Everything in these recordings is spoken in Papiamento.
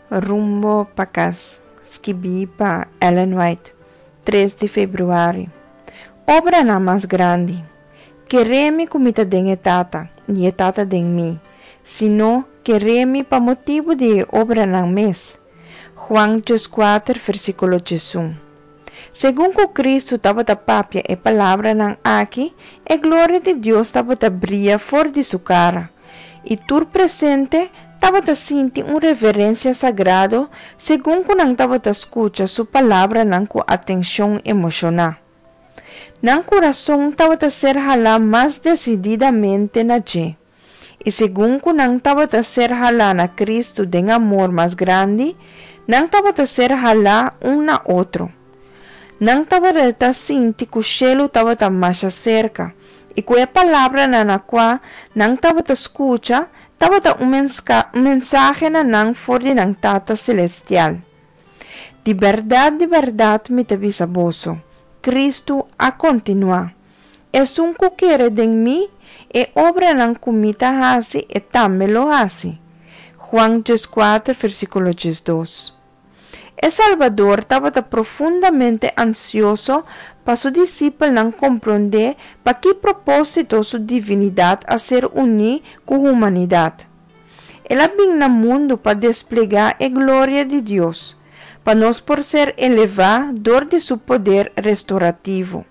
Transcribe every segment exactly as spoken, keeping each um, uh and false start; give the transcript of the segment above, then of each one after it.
Rumbo pa Kas, skibí pa Ellen White, tres di febrüari. Obranan mas grandi. Kere mi ku mi ta den e Tata, i e Tata den mi. Si no, kere mi pa motibu di e obranan mes. Juan dieskuater, versíkulo diesun. Segun ku Kristu tabata papia e palabranan aki, e gloria di Dios tabata bria for di su kara, i tur presente tabata sinti un reverensia sagrado segun ku nan tabata skucha su palabranan ku atenshon emoshoná. Nan kurason tabata ser halá mas desididamente na dje, i segun ku nan tabata ser halá na Kristu den amor mas grandi, nan tabata ser halá un na otro. Nan tabata sinti ku shelu tabata masha serka, i ku e palabranan na kua nan tabata skucha tabata un mensahe na nan for di nan Tata Selestial. Di bèrdat, di bèrdat mi ta bisa boso, Kristu a kontinuá, esun ku kere den mi, e obranan ku mi ta hasi e tambe lo hasi. Juan dieskuater, versíkulo diesdos. E Salbador tabata profundamente ansioso pa su disipelnan komprondé pa ki propósito su divinidat a ser uní ku humanidat. El a bin na mundu pa desplegá e gloria di Dios, pa nos por ser elevá dor di su poder restorativo.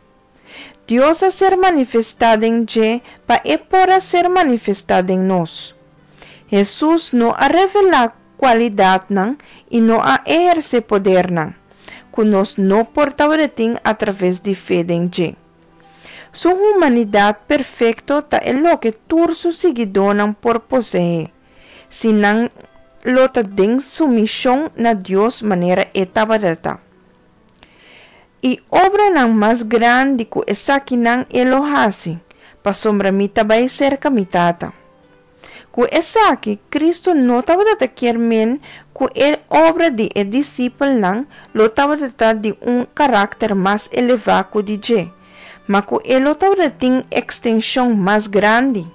Dios a ser manifestá den dje pa e por a ser manifestá den nos. Hesus no a revelá kualidatnan i no a ehersé podernan, ku nos no por tabatin atraves di fe den dje. Su humanidat perfekto ta e loke tur su siguidónan por poseé, si nan lo ta den sumishon na Dios manera e tabata. I obranan mas grandi ku esakinan e lo hasi, pasobra mi ta bai serka mi Tata. Ku esaki, Kristu no tabata kier men ku e obra di e disipelnan lo tabata di un karakter mas elevá ku di dje, ma ku e lo tabatin ekstenshon mas grandi.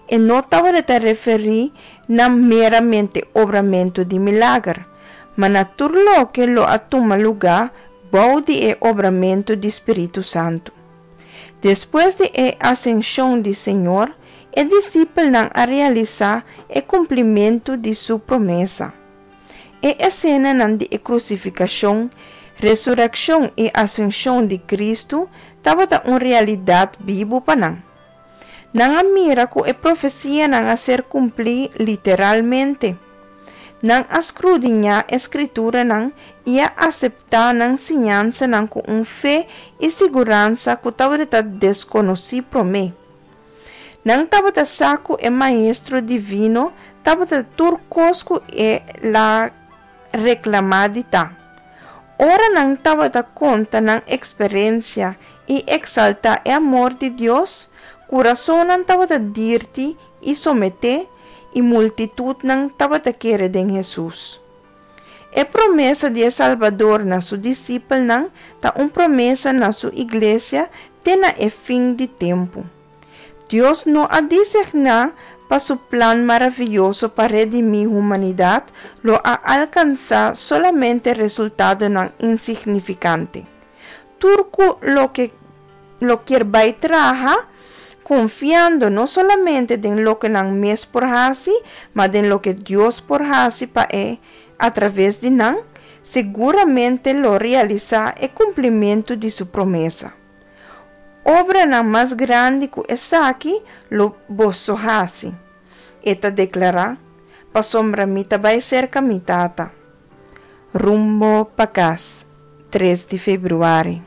E no tabata referí na meramente obramentu di milager, ma na tur loke lo a tuma lugá bou di e obramentu di Spiritu Santu. Despues di e asenshon di Señor, e disipelnan a realisá e kumplimentu di su promesa. E esenanan di e krusifikashon, resurekshon i asenshon di Kristu tabata un realidat bibu pa nan. Nan a mira ku e profesianan a ser kumplí literalmente. Nan a skrudiñá e Skrituranan i a aseptá nan siñansanan ku un fe i siguransa ku tabata deskonosí promé. Nan tabata sa ku e Maestro Divino tabata tur kos ku el a reklamá di ta. Ora nan tabata konta nan eksperensia i eksaltá e amor di Dios, kurasonnan tabata dirti i someté i multitutnan tabata kere den Hesus. E promesa di e Salbador na su disipelnan ta un promesa na su iglesia te na e fin di tempu. Dios no a diseñá pa su plan maravioso pa redimí humanidat lo a alkansá solamente resultadonan insignifikante. Tur ku loke lo kier bai traha, konfiando no solamente den loke nan mes por hasi, ma den loke Dios por hasi pa e atraves di nan, seguramente lo realisá e kumplimentu di su promesa. Obranan mas grandi ku esaki lo boso hasi, e ta deklará, pasobra mi ta bai serka mi Tata. Rumbo pa Kas, tres di febrüari.